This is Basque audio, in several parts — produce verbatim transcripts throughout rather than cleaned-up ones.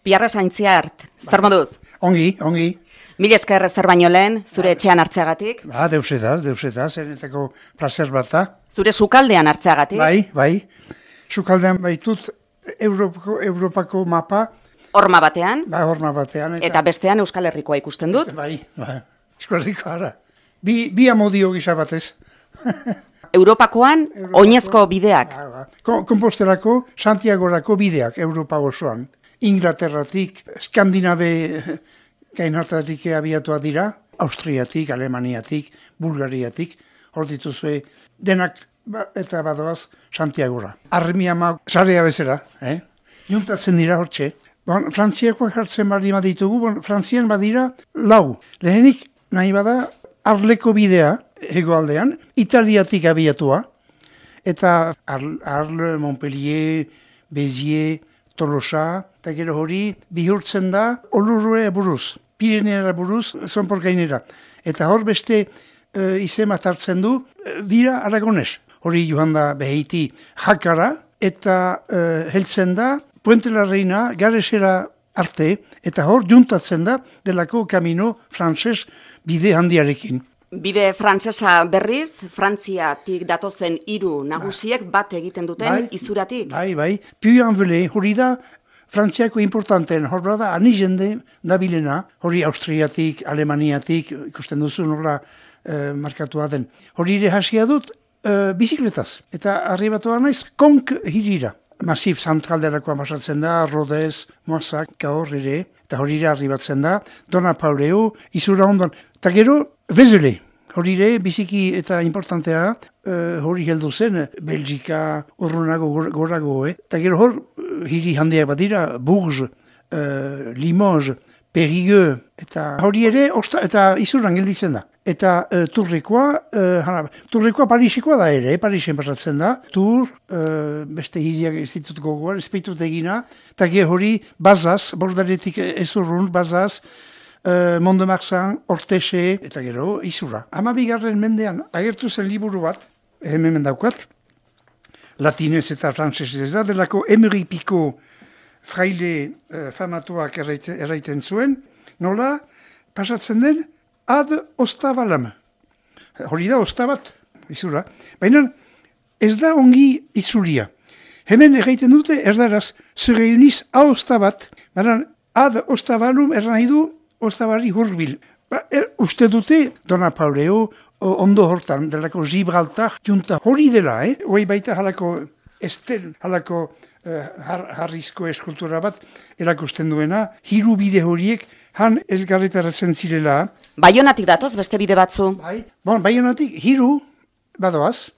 Biarra Saintziart, zer moduz? Ongi, ongi. Mil esker zer baino lehen, zure etxean hartzeagatik. Ba, deusetaz, deusetaz, erentzako placer bat da. Zure sukaldean hartzeagatik. Bai, bai. Sukaldean baitut Europako, Europako mapa. Horma batean. Ba, horma batean. Eta, eta bestean Euskal Herrikoa ikusten dut. Bai, bai. Euskal Herrikoa ara. Bi, bi amodio gisa batez. Europakoan, Europako, oinezko bideak. Ba, ba. Kompostelako, Santiagorako bideak, Europa osoan. Inglaterratik, Skandinabe gainartatik abiatuak dira, Austriatik, Alemaniatik, Bulgariatik, hor dituzue denak ba, eta badoaz Santiagora. Arremi ama sarea bezala, eh? Juntatzen dira hortxe. Bon, Frantziakoak hartzen bali ditugu, bon, Frantzian badira lau. Lehenik nahi bada Arleko bidea hegoaldean, Italiatik abiatua, eta Arle, Montpellier, Béziers, Tolosa, eta gero hori bihurtzen da Olurue buruz, Pirineara buruz, zonpor gainera. Eta hor beste e, izema hartzen du, e, bira Aragones. Hori joan da beheiti Jakara, eta e, heltzen da Puente la Reina, Garesera arte, eta hor juntatzen da delako kamino frantses bide handiarekin. Bide frantsesa berriz, Frantziatik datozen hiru nagusiek bat egiten duten bai, izuratik. Bai, bai. Puy-en-Velay, hori da Frantziako importanten, hor da ani jende dabilena, hori Austriatik, Alemaniatik, ikusten duzu nola eh, markatua den. Hori ere hasia dut eh, bizikletaz. Eta arribatoa naiz, Konk hirira. Masif zantralderakoa pasatzen da, Rodez, Moissac, Cahors ere, eta hori ere arribatzen da, Dona Pauleu, izura ondoan. Eta gero, Vezele, hori ere, biziki eta importantea, uh, hori heldu zen, Belgika, urrunago, gorago, eh? Eta gero hor, hiri handiak bat dira, Bourges, uh, Limoges, Périgueux, eta hori ere, osta, eta izuran gelditzen da. Eta uh, Turrekoa, uh, Turrekoa Parisikoa da ere, eh? Parisen pasatzen da. Tur, uh, beste hiriak ez ditut gogoan, ezpeitut egina, eta gero hori, Bazaz, bordaretik ezurrun, Bazaz, Uh, Mont-de-Marsan, Ortexe, eta gero, izura. Hama bigarren mendean, agertu zen liburu bat, hemen daukat, latinez eta frantsesez da, delako Emery Picot fraile uh, famatuak erraiten, erraiten zuen, nola, pasatzen den, ad ostavalam. Hori da, ostabat, izura. Baina, ez da ongi itzulia. Hemen erraiten dute, erdaraz, se reuniz a ostabat, baina, ad ostavalum erran nahi du, Ostabarri hurbil. Ba, er, uste dute, Dona Pauleu, ondo hortan, delako Gibraltar, junta hori dela, eh? Hoi baita halako estel, halako uh, har, harrizko eskultura bat, erakusten duena, hiru bide horiek, han elgarretaratzen zirela. Baionatik datoz, beste bide batzu. Bai, bon, Baionatik, hiru, badoaz,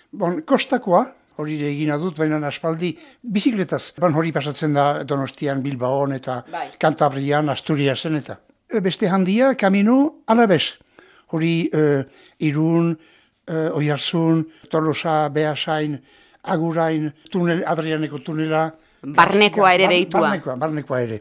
bon, kostakoa, hori egina dut, baina aspaldi bizikletaz. Bon, hori pasatzen da Donostian, Bilbaon, eta bai. Kantabrian, Asturiasen, eta beste handia, kamino alabez. Hori uh, Irun, uh, Oiartzun, Tolosa, Beasain, Agurain, tunel, Adrianeko tunela. Barnekoa ere deitua. Barnekoa, barnekoa ere.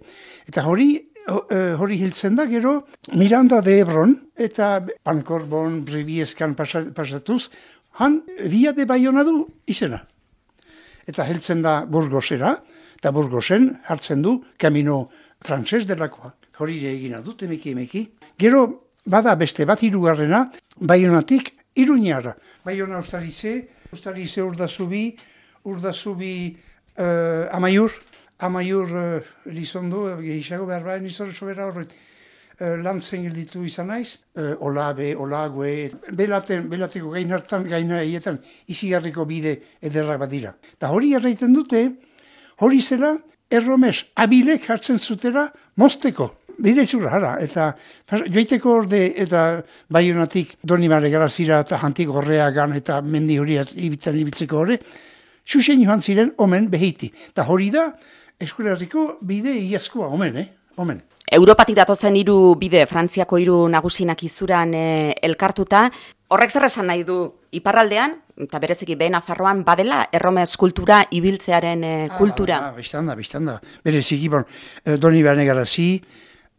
Eta hori, uh, hori hiltzen da, gero, Miranda de Ebron, eta Pankorbon, Brivieskan pasatuz, han, Via de Bayona du izena. Eta heltzen da Burgosera, eta Burgosen hartzen du kamino frantses delakoa. Hori egina dut, emeki emeki. Gero, bada beste bat hirugarrena, Baionatik Iruñara. Baiona Ustaritze, Ustaritze Urdazubi, Urdazubi uh, Amaiur, Amaiur uh, Lizondo, gehiago behar bain izan sobera horret. Uh, lantzen gelditu izan naiz, uh, Olabe, Olague, belaten, belateko gain hartan, gaina eietan, izigarriko bide ederrak bat dira. Eta hori erraiten dute, hori zela, erromes, abilek hartzen zutela, mozteko. Bide zura, hara, eta joiteko orde, eta Baionatik Donibane Garazira eta Jantik Gorreagan eta mendi hori ibitzen ibitzeko hori, xuxen joan ziren omen behiti. Eta hori da, Euskal Herriko bide iazkoa, omen, eh? Omen. Europatik datozen hiru bide, Frantziako hiru nagusinak izuran e, elkartuta, horrek zer esan nahi du iparraldean, eta bereziki behe Nafarroan, badela erromes kultura ibiltzearen e, kultura? Ah, ah, biztan da, biztan da. Bereziki, bon, Donibane Garazi,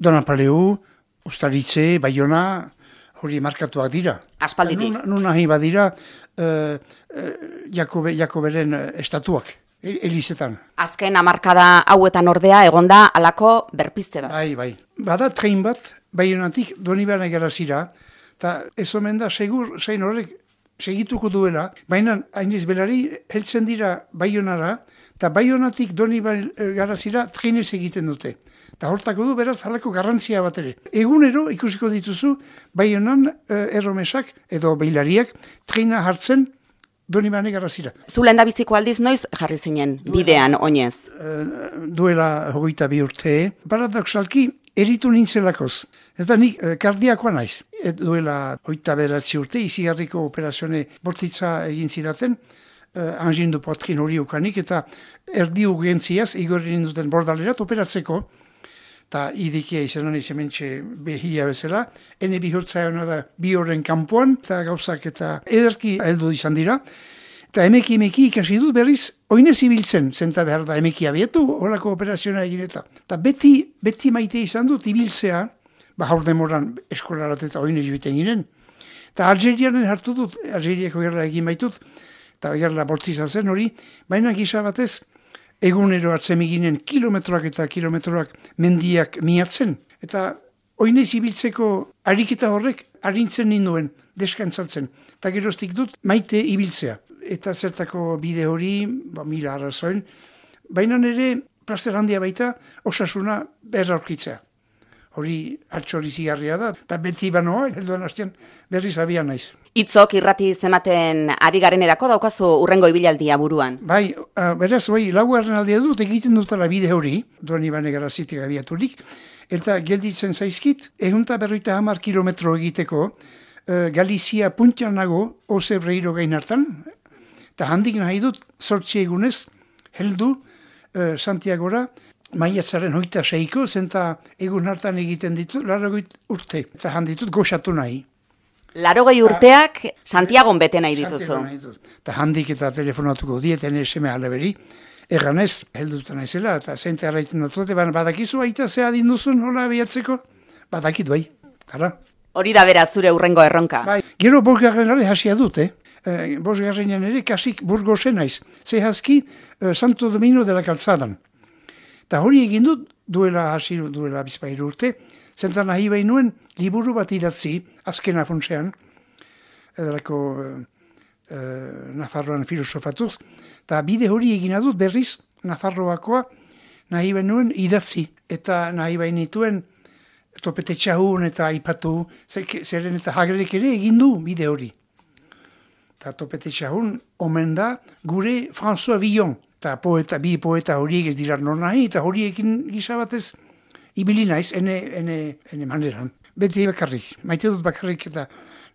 Dona Pauleu, Ustaritze, Baiona, hori markatuak dira. Aspalditik. Nun nahi badira, uh, uh, Jakobe, Jakoberen estatuak. Elizetan. Azken hamarkada hauetan ordea egonda halako berpizte bat. Bai, bai. Bada tren bat, Baionatik Donibane garazira, eta ez omen da, segur, zein horrek segituko duela, baina hainiz belari heltzen dira Baionara, eta Baionatik Donibane garazira trenez egiten dute. Eta hortako du beraz halako garrantzia bat ere. Egunero ikusiko dituzu Baionan eh, erromesak edo beilariak trena hartzen Donibane garazira. Zu lehendabiziko aldiz noiz jarri zinen bidean oinez? Uh, duela hogeita bi urte, paradoxalki eritu nintzelakoz. Eta nik uh, kardiakoa naiz. Et duela hogeita beratzi urte, izigarriko operazione bortitza egin zidaten, uh, angin du potrin hori ukanik, eta erdi urgentziaz igorri ninduten bordalerat operatzeko, eta idikia izan honi zementxe behia bezala, ene bihurtza hona da bi horren kanpoan, eta gauzak eta ederki heldu izan dira, eta emeki emeki ikasi dut berriz, oinez ibiltzen, zenta behar da emeki abietu, horako operazioa egin eta. Eta beti, beti maite izan dut ibiltzea, ba haur demoran eskolarat eta oinez biten ginen, eta Algerianen hartu dut, Algeriako gerla egin baitut, eta gerla bortizan zen hori, baina gisa batez, egunero atzemiginen kilometroak eta kilometroak mendiak miatzen. Eta oinez ibiltzeko ariketa horrek arintzen ninduen, deskantzatzen. Eta geroztik dut maite ibiltzea. Eta zertako bide hori, ba, mila arrazoin, baina nire plazer handia baita osasuna berra aurkitzea. Hori altxori zigarria da, eta beti banoa, helduan hastean berriz abian naiz. Itzok irrati zematen ari garenerako daukazu urrengo ibilaldia buruan. Bai, uh, beraz, bai, laugarren aldia dut egiten dutela bide hori, Donibane garazitik abiaturik, eta gelditzen zaizkit, ehunta berroita hamar kilometro egiteko, uh, Galizia puntian nago, Ozebreiro gain hartan, eta handik nahi dut, zortzi egunez, heldu uh, Santiagora, maiatzaren hogeita seiko, zenta egun hartan egiten ditut, larrogeit urte, eta handitut goxatu nahi. Larogei urteak Santiagon bete nahi dituzu. Eta handik eta telefonatuko dieten eseme aleberi, erganez, helduta naizela, eta zente arraiten dut, baina badakizu aita zea dinduzun, hola behatzeko, badakit bai, gara. Hori da bera zure urrengo erronka. Bai, gero bosgarren ere hasia dut, eh? E, bosgarrenean ere kasik burgosen naiz, zehazki e, Santo Domingo de la Calzadan. Eta hori egin dut, duela hasi duela bizpairu urte, zentan nahi behin nuen liburu bat idatzi, azken afontzean, edarako e, e, Nafarroan filosofatuz, eta bide hori egin dut berriz, Nafarroakoa nahi behin nuen idatzi, eta nahi behin nituen topete txahun eta aipatu, zeren eta Haglerek ere egin du bide hori. Eta topete txahun omen da gure François Villon, eta poeta, bi poeta horiek ez dira non nahi, eta horiekin gisa batez ibili naiz, ene, ene, ene maneran. Beti bakarrik, maite dut bakarrik eta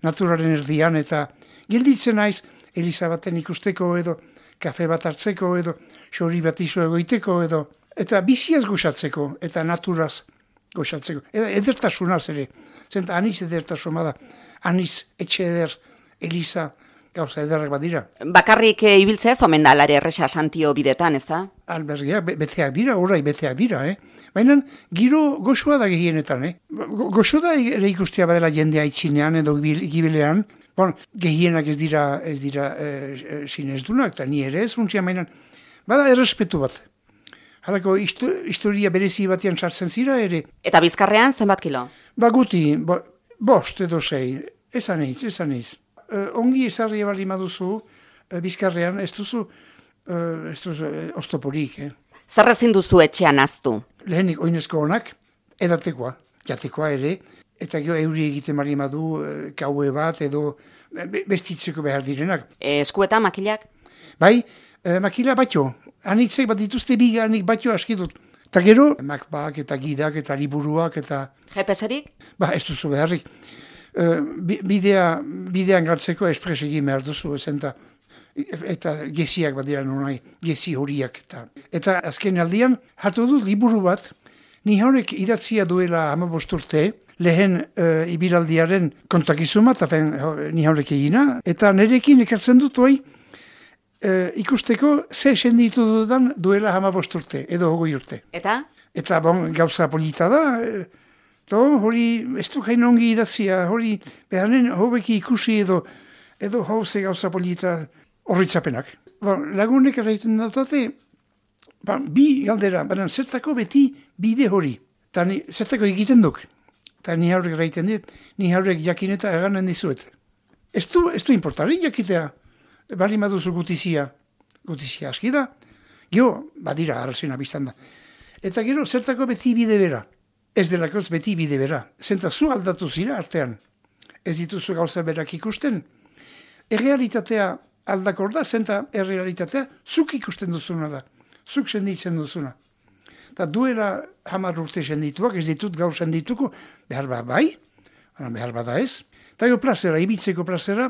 naturaren erdian, eta gelditzen naiz, Elizabaten ikusteko edo, kafe bat hartzeko edo, xori bat iso egoiteko edo, eta biziaz goxatzeko, eta naturaz goxatzeko. Eta edertasunaz ere, zenta aniz edertasuna da, aniz etxe eder, Eliza, gauza ederrak badira. Bakarrik e, ibiltzea ez omen da alare erresa Santio bidetan, ez da? Albergia, be, beteak dira, orai beteak dira, eh? Baina giro goxua da gehienetan, eh? Go, goxo da ere ikustea badela jendea itzinean edo gibilean. Bon, gehienak ez dira, ez dira e, sinezdunak, eta ni ere ez funtsia mainan. Bada errespetu bat. Halako historia berezi batean sartzen zira ere. Eta Bizkarrean zenbat kilo? Ba guti, bo, bost edo sei, esan eiz, esan eiz. Uh, ongi ezarri bali maduzu, uh, Bizkarrean, ez duzu, uh, ez duzu uh, ostoporik. Eh? Zer ezin duzu etxean aztu? Lehenik oinezko honak, edatekoa, jatekoa ere, eta gero euri egiten bali madu, uh, kaue bat, edo be, bestitzeko behar direnak. E, eskueta, makilak? Bai, uh, makila batio, anitzek bat dituzte biga, anik batio askidut. Eta gero, makbak eta gidak eta liburuak eta... G P S-erik? Ba, ez duzu beharrik. Uh, bidea, bidean gartzeko espres egin behar duzu, ezenta, eta geziak bat dira nonai, gezi horiak. Eta, eta azken aldian, hartu dut liburu bat, ni horrek idatzia duela hamabost urte, lehen uh, ibilaldiaren kontakizuma, eta ni horrek egina, eta nerekin ekartzen dut hoi, uh, ikusteko ze senditu dudan duela hamabost urte, edo hogoi urte. Eta? Eta bon, gauza polita da, To, hori, ez du jain ongi idatzia, hori, behanen hobeki ikusi edo, edo hauze gauza polita horritzapenak. bon, lagunek erraiten dautate, bon, bi galdera, baina zertako beti bide hori. Eta ni, zertako egiten duk. Eta ni haurek erraiten dit, ni haurek jakin eta eganen dizuet. Ez du, ez du importari jakitea, bali maduzu gutizia, gutizia aski da, gero, badira, arrazena biztan da. Eta gero, zertako beti bide bera. Ez delakoz beti bide bera. Zenta zu aldatu zira artean. Ez dituzu gauza berak ikusten. Errealitatea aldakor da, zenta errealitatea zuk ikusten duzuna da. Zuk senditzen duzuna. Eta duela hamar urte sendituak, ez ditut gaur sendituko, behar bat bai, behar bat da ez. Eta jo plazera, ibitzeko plazera,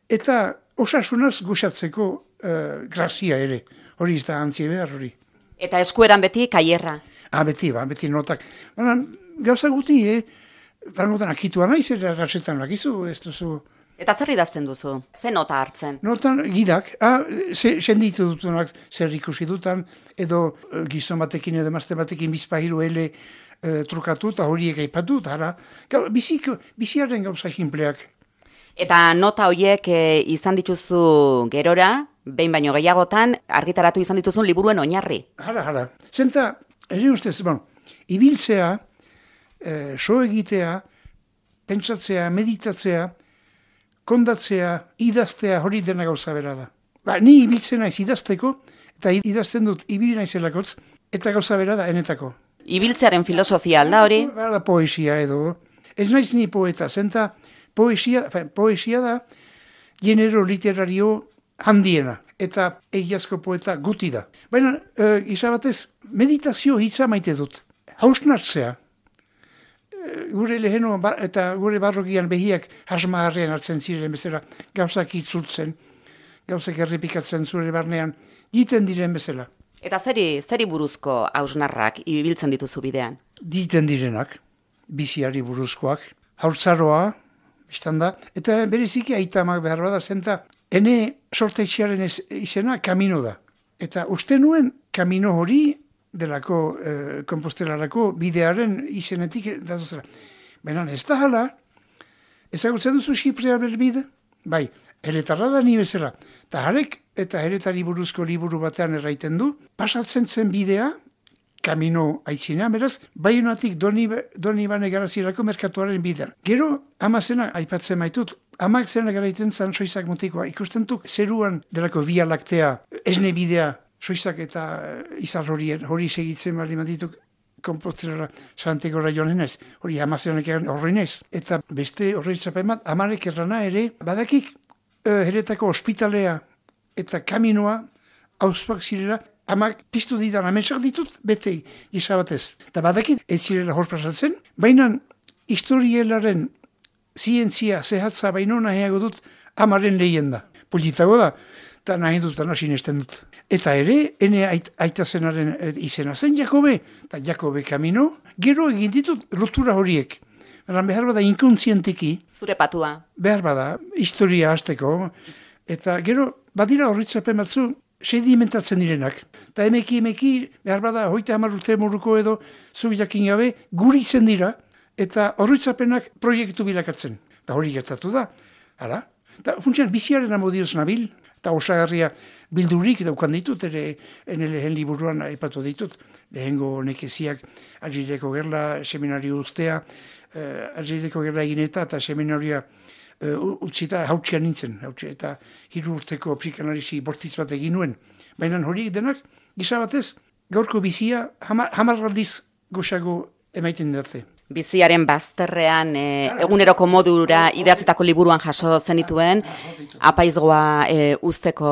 eta osasunaz goxatzeko uh, grazia ere. Hori ez da antzi behar hori. Eta eskueran beti kaierra. Ah, beti, ba, beti notak. Baina, gauza guti, eh? Baina, akitua nahi zer rasetan lakizu, ez duzu. Eta zer idazten duzu? Ze nota hartzen? Notan gidak, ah, se, senditu dutunak zer ikusi dutan, edo uh, gizon batekin edo emazte batekin bizpahiru ele uh, trukatu, eta horiek aipatu, eta hara, biziko, biziaren gauza simpleak. Eta nota horiek e, izan dituzu gerora, behin baino gehiagotan, argitaratu izan dituzun liburuen oinarri. Hala, hala. Zenta, ere ustez, bon, ibiltzea, eh, so egitea, pentsatzea, meditatzea, kondatzea, idaztea, hori dena gauza bera da. Ba, ni ibiltzen naiz idazteko, eta idazten dut ibili naizelakotz, eta gauza bera da, enetako. Ibiltzearen filosofia alda hori? Ba, poesia edo. Ez naiz ni poeta, zenta poesia, poesia da genero literario handiena, eta egiazko poeta guti da. Baina, e, izabatez, meditazio hitza maite dut. Hausnartzea. Gure leheno eta gure barrokian behiak hasmagarrian hartzen ziren bezala, gauzak itzultzen, gauzak errepikatzen zure barnean, diten diren bezala. Eta zeri, zeri buruzko hausnarrak ibiltzen dituzu bidean? Diten direnak, biziari buruzkoak, haurtzaroa, biztan da, eta bereziki aitamak behar bada zenta, ene sortetxearen izena kamino da. Eta uste nuen kamino hori, delako eh, kompostelarako bidearen izenetik datuzera. Baina ez da hala, ezagutzen duzu Xiprea berbide? Bai, heretarra da ni bezala. Eta harek eta heretari buruzko liburu batean erraiten du, pasatzen zen bidea, kamino aitzina, beraz, Baionatik doni, doni bane garazirako merkatuaren bidean. Gero, ama zena, aipatzen maitut, amak zena garaiten zan soizak mutikoa, ikustentuk zeruan delako via laktea, esne bidea, soizak eta izar horien, hori segitzen bali madituk komposterara Santegora joan ez, hori amazenak horrein ez. Eta beste horreitzapen bat, amarek errana ere, badakik uh, heretako ospitalea eta kaminoa hauzpak zirela, amak piztu didan ametsak ditut, bete gisa batez. Eta badakit ez zirela hor pasatzen, baina historielaren zientzia zehatza baino nahiago dut amaren lehien da. Politago da, eta nahi dut, eta sinesten dut. Eta ere, ene ait, aitazenaren izena zen Jakobe, eta Jakobe kamino, gero egin ditut lotura horiek. Beran behar bada inkontzienteki. Zure patua. Behar bada, historia hasteko, eta gero, badira horritzapen batzu, sedimentatzen direnak. Eta emeki, emeki, behar bada, hoita hamar urte moruko edo, zuk jakin gabe, guritzen dira, eta horritzapenak proiektu bilakatzen. Eta hori gertatu da, hala. Eta funtsian, biziaren amodioz nabil, eta osagarria bildurik daukan ditut, ere ene lehen liburuan aipatu ditut, lehengo nekeziak Algeriako gerla, seminario ustea, uh, Algeriako gerla egineta eta seminarioa uh, utzita hautsia nintzen, hautsia, eta hiru urteko psikanalisi bortitz bat egin nuen. Baina horiek denak, gisa batez, gaurko bizia hamar, hamar aldiz goxago emaiten dute. Biziaren bazterrean e, eguneroko modura idatzitako liburuan jaso zenituen, apaizgoa e, usteko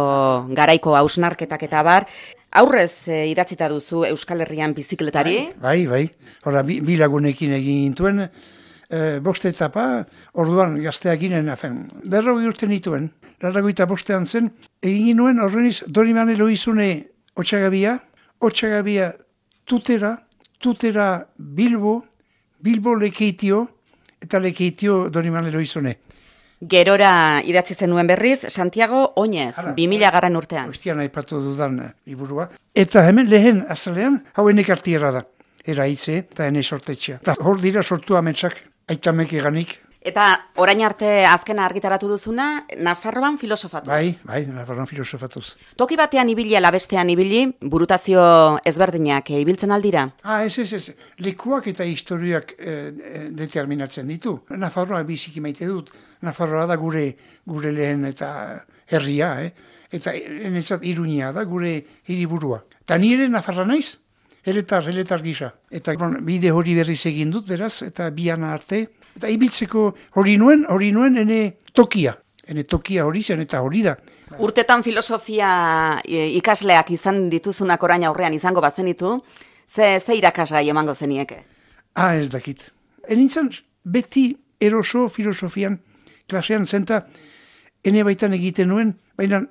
garaiko hausnarketak eta bar. Aurrez e, idatzita duzu Euskal Herrian bizikletari? Bai, bai. Hora, bi, bi lagunekin egin gintuen, e, bost etapa, orduan gazteak ginen, afen, berrogei urte nituen, larragoita bostean zen, egin nuen horreniz Dorimane Loizune Otxagabia, Otxagabia Tutera, Tutera Bilbo, Bilbo Lekeitio eta Lekeitio Dorimane Loizune. Gerora idatzi zenuen berriz, Santiago Oinez, bi mila garren urtean. Ostian aipatu dudan liburua. Eta hemen lehen azalean, hau enek artiera da. Era hitze eta ene sortetxea. Eta hor dira sortu ametsak, aitamek eganik, Eta orain arte azkena argitaratu duzuna, Nafarroan filosofatuz. Bai, bai, Nafarroan filosofatuz. Toki batean ibili ala bestean ibili, burutazio ezberdinak e, ibiltzen aldira? Ah, ez, ez, ez. Lekuak eta historiak eh, determinatzen ditu. Nafarroa biziki maite dut. Nafarroa da gure gure lehen eta herria, eh? Eta enetzat Iruña da gure hiriburua. Ta nire Nafarra naiz, eletar, eletar gisa. Eta bon, bide hori berriz egin dut, beraz, eta biana arte. Eta ibiltzeko hori nuen, hori nuen ene tokia. Ene tokia hori zen eta hori da. Urtetan filosofia ikasleak izan dituzunak orain aurrean izango bazenitu, ze, ze irakasgai emango zenieke? Ah, ez dakit. Enintzan beti eroso filosofian klasean zenta ene baitan egiten nuen, baina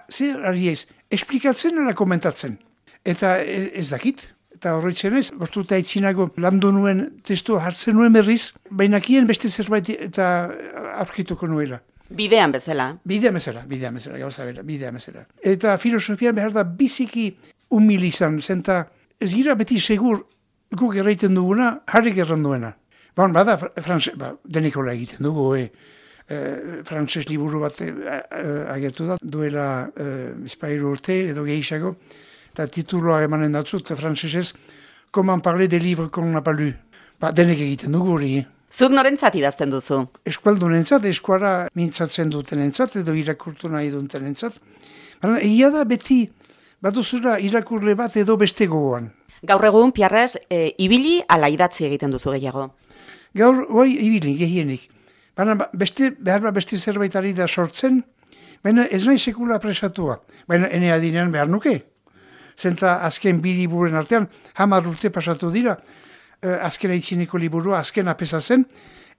zer ari ez, esplikatzen ala komentatzen. Eta ez, ez dakit. Eta horretzen ez, bortuta aitzinago landu nuen testua hartzen nuen berriz, bainakien beste zerbait eta aurkituko nuela. Bidean bezala. Bidean bezala, bidean bezala, gauza bera, bidean bezala. Eta filosofian behar da biziki humil izan, zenta ez gira beti segur guk erraiten duguna, harrik erran duena. Bon, bada, franse, ba, denikola egiten dugu, eh? Eh, frantses liburu bat eh, agertu da, duela eh, espairu urte edo gehiago, eta tituloa emanen datzut, frantsesez, Comment parler des livres qu'on n'a pas lu. Ba, denek egiten dugu hori. Zuk norentzat idazten duzu? Eskualdunentzat, eskuara mintzatzen dutenentzat, edo irakurtu nahi dutenentzat. Baina, egia da beti, baduzura irakurle bat edo beste gogoan. Gaur egun, Piarrez, e, ibili ala idatzi egiten duzu gehiago? Gaur, oi, ibili, gehienik. Baina, beste, behar beste zerbait ari da sortzen, baina ez nahi sekula presatua. Baina, ene adinean behar nuke. Zenta azken bi liburen artean, hamar urte pasatu dira, eh, azken aitzineko liburua, azken apesa zen,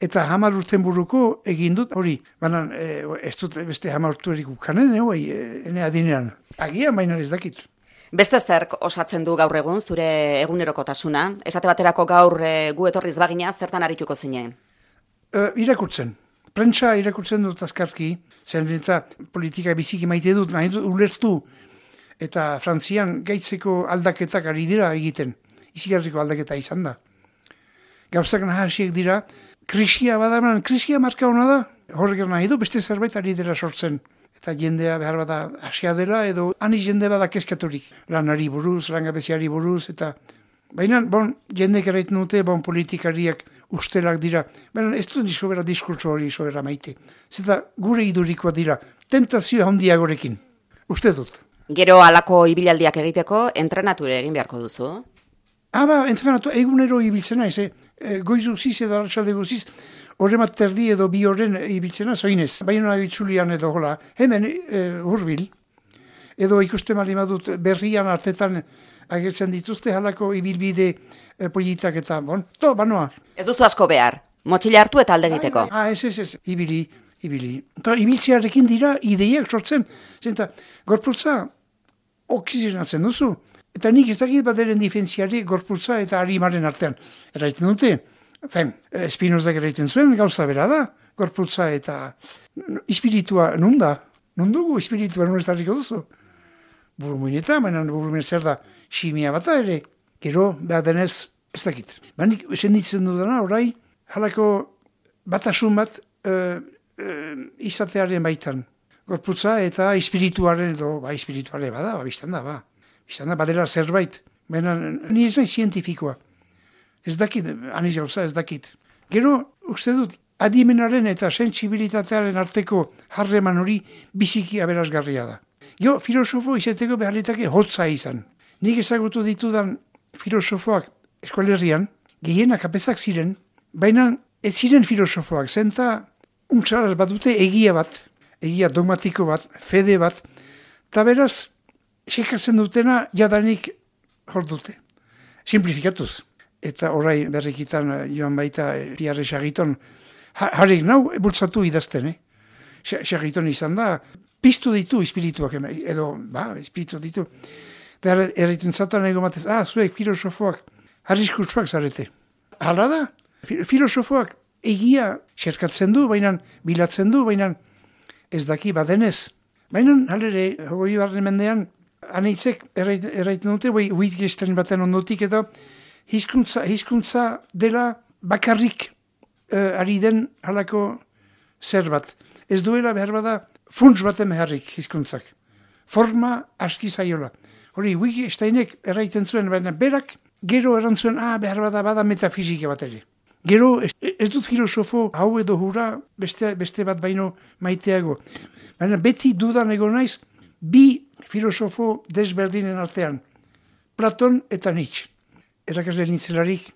eta hamar urten buruko egin dut hori. Baina eh, ez dut beste hamar urte erik ukanen, eh, ene adinean. Agian, baina ez dakit. Beste zerk osatzen du gaur egun, zure egunerokotasuna? Esate baterako gaur e, gu etorriz bagina, zertan arituko zinen? Uh, irakurtzen. Prentsa irakurtzen dut azkarki, zen eta politika biziki maite dut, nahi dut ulertu, eta Frantzian gaitzeko aldaketak ari dira egiten. Izigarriko aldaketa izan da. Gauzak nahasiek dira, krisia badaman, krisia marka hona da, horrek nahi du, beste zerbait ari dira sortzen. Eta jendea behar bada hasia dela, edo ani jende bada keskaturik. Lanari buruz, langabeziari buruz, eta baina, bon, jendek erraiten dute, bon, politikariak ustelak dira. Baina ez dut sobera diskurtso hori sobera maite. Zeta gure idurikoa dira, tentazio handiagorekin. Uste dut. Gero halako ibilaldiak egiteko, entrenatu ere egin beharko duzu? Ah, ba, entrenatu, egunero ibiltzen naiz, eh? E, goizu ziz edo arratsalde guziz, horremat terdi edo bi horren ibiltzena, zoinez. Baina itzulian edo hola, hemen e, hurbil. Edo ikusten mali madut berrian artetan agertzen dituzte halako ibilbide e, politak eta, bon, to, banoa. Ez duzu asko behar, motxila hartu eta alde egiteko. Ah, ez, ez, ez, ibili, ibili. Eta ibiltzearekin dira ideiak sortzen. Zenta, gorputza oksigenatzen duzu. Eta nik ez dakit baderen difentziari gorputza eta harimaren artean. Erraiten dute, fen, Spinozak erraiten zuen, gauza bera da, gorputza eta espiritua nun da? Nun dugu espiritua nun ez darriko duzu? Burumuineta, mainan burumuin zer da, simia bata ere, gero, behar denez, ez dakit. Baina senditzen dudana, orai, halako batasun bat uh, uh, izatearen baitan. Gorputza eta espirituaren, edo, ba, espirituare bada, ba, biztan da, ba. Biztan da, badela zerbait. Baina, ni ez nahi zientifikoa. Ez dakit, aniz gauza, ez dakit. Gero, uste dut, adimenaren eta sentsibilitatearen arteko harreman hori biziki aberasgarria da. Jo, filosofo izeteko beharritake hotza izan. Nik ezagutu ditudan filosofoak eskolerrian, gehienak apezak ziren, baina ez ziren filosofoak, zenta untzaraz bat dute egia bat, egia dogmatiko bat, fede bat, eta beraz, sekatzen dutena jadanik hor dute. Simplifikatuz. Eta orai berrikitan joan baita Piarre Sarriton, harrik nau bultzatu idazten, eh? Sarriton izan da, piztu ditu espirituak, edo, ba, espiritu ditu. Eta erraiten zatan ego matez, ah, zuek filosofoak, arriskutsuak zarete. Hala da, filosofoak egia xerkatzen du, baina bilatzen du, baina ez daki badenez. Baina, halere, hogei barren mendean, aneitzek erraiten dute, Wittgenstein baten ondotik, eta hizkuntza, hizkuntza dela bakarrik uh, ari den halako zer bat. Ez duela behar bada funts baten beharrik hizkuntzak. Forma aski zaiola. Hori, Wittgensteinek erraiten zuen, baina berak gero erantzuen, ah, behar bada bada metafizika bat ere. Gero, ez, ez dut filosofo hau edo hura beste, beste bat baino maiteago. Baina beti dudan egon naiz, bi filosofo desberdinen artean. Platon eta Nietzsche. Erakasle nintzelarik,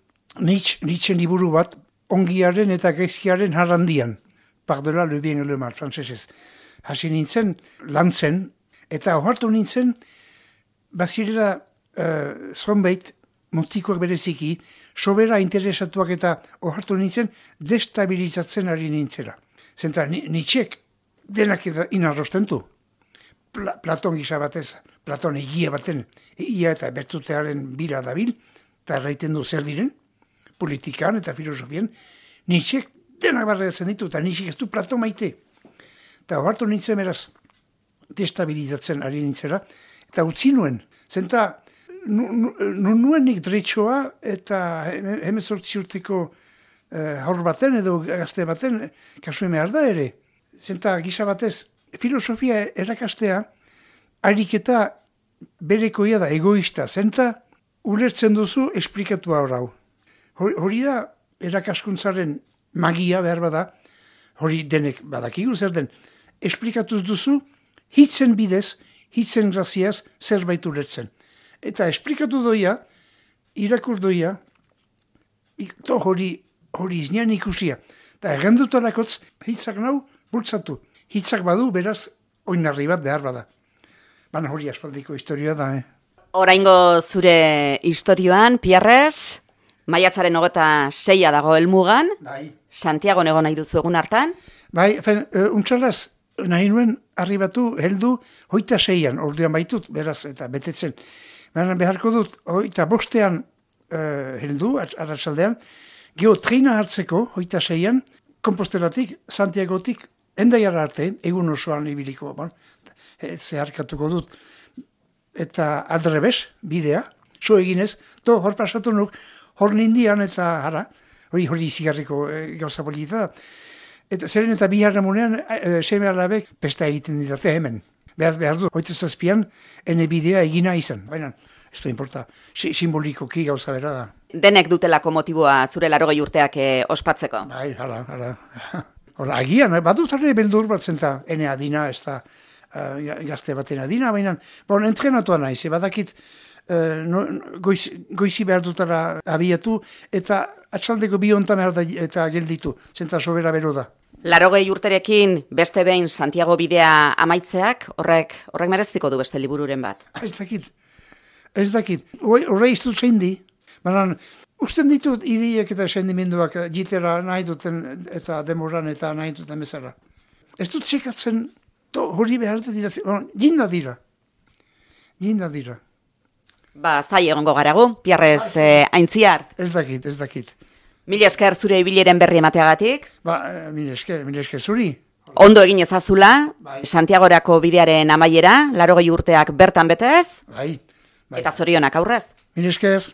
Nietzsche, Nietzschen liburu bat, ongiaren eta gaizkiaren harrandian. Pardela le bien et le mal, frantsesez. Hasi nintzen, lantzen, eta ohartu nintzen, bazirela uh, zonbait, mutikoak bereziki, sobera interesatuak eta ohartu nintzen, destabilizatzen ari nintzela. Zenta, Nietzschek denak inarrostentu. Pla, Platon gisa batez, Platon egia baten, egia eta bertutearen bila dabil, eta erraiten du zer diren, politikan eta filosofien, Nietzschek denak barreatzen ditu, eta Nietzschek ez du Platon maite. Eta ohartu nintzen beraz, destabilizatzen ari nintzela, eta utzi nuen. Zenta, nu, nu, nuenik dretxoa eta hemezortzi urteko eh, haur baten edo gazte baten kasuen behar da ere. Zenta, gisa batez, filosofia erakastea, ariketa berekoia da, egoista. Zenta, ulertzen duzu esplikatua hor hau. Hori da, erakaskuntzaren magia behar bada, hori denek badakigu zer den, esplikatuz duzu, hitzen bidez, hitzen graziaz zerbait ulertzen. Eta esplikatu doia, irakur doia, to hori, hori iznian ikusia. Eta errendutalakotz, hitzak nau, bultzatu. Hitzak badu, beraz, oinarri bat behar bada. Baina hori aspaldiko historioa da, eh? Oraingo zure historioan, Pierres, maiatzaren hogeta seia dago helmugan, Bai. Santiago nego nahi duzu egun hartan. Bai, fen, uh, untxalaz, nahi nuen arribatu, heldu, hoita seian, orduan baitut, beraz, eta betetzen. Baina beharko dut, hoita bostean uh, heldu, arratsaldean, geho treina hartzeko, hoita seian, Kompostelatik, Santiagotik, endaiara arte, egun osoan ibiliko, bon, zeharkatuko dut, eta aldrebes, bidea, so eginez, to, hor pasatu nuk, hor nindian, eta hara, hori hori izigarriko e, gauza polita da. Eta zeren eta biharra munean, e, seme alabek, pesta egiten didate hemen. Behaz behar du, hoita zazpian, ene bidea egina izan. Baina, ez da importa, si, simbolikoki gauza bera da. Denek dutelako motiboa zure larogei urteak e, ospatzeko. Bai, hala, hala. Hola, agian, badut arre beldur bat zenta, ene adina, ez da uh, gazte baten adina, baina, bon, entrenatua naiz, badakit, uh, no, goiz, goizi behar dutara abiatu, eta atxaldeko bi hontan behar da eta gelditu, zenta sobera bero da. Larogei urterekin beste behin Santiago bidea amaitzeak, horrek horrek mereziko du beste libururen bat. Ez dakit, ez dakit, horre iztu zein di, baina, usten ditut ideiak eta sendimenduak jitera nahi duten eta demoran eta nahi duten bezala. Ez dut txekatzen, to, hori behar dut dira, bueno, jinda dira, jinda dira. Ba, zai egongo garagu, Pierres eh, Aintziart. Ez dakit, ez dakit. Mila esker zure ibileren berri emateagatik. Ba, mila esker, mila esker zuri. Ondo egin ezazula, Bai. Santiagorako bidearen amaiera, larogei urteak bertan betez, Bai, bai. eta zorionak aurrez. Mila esker.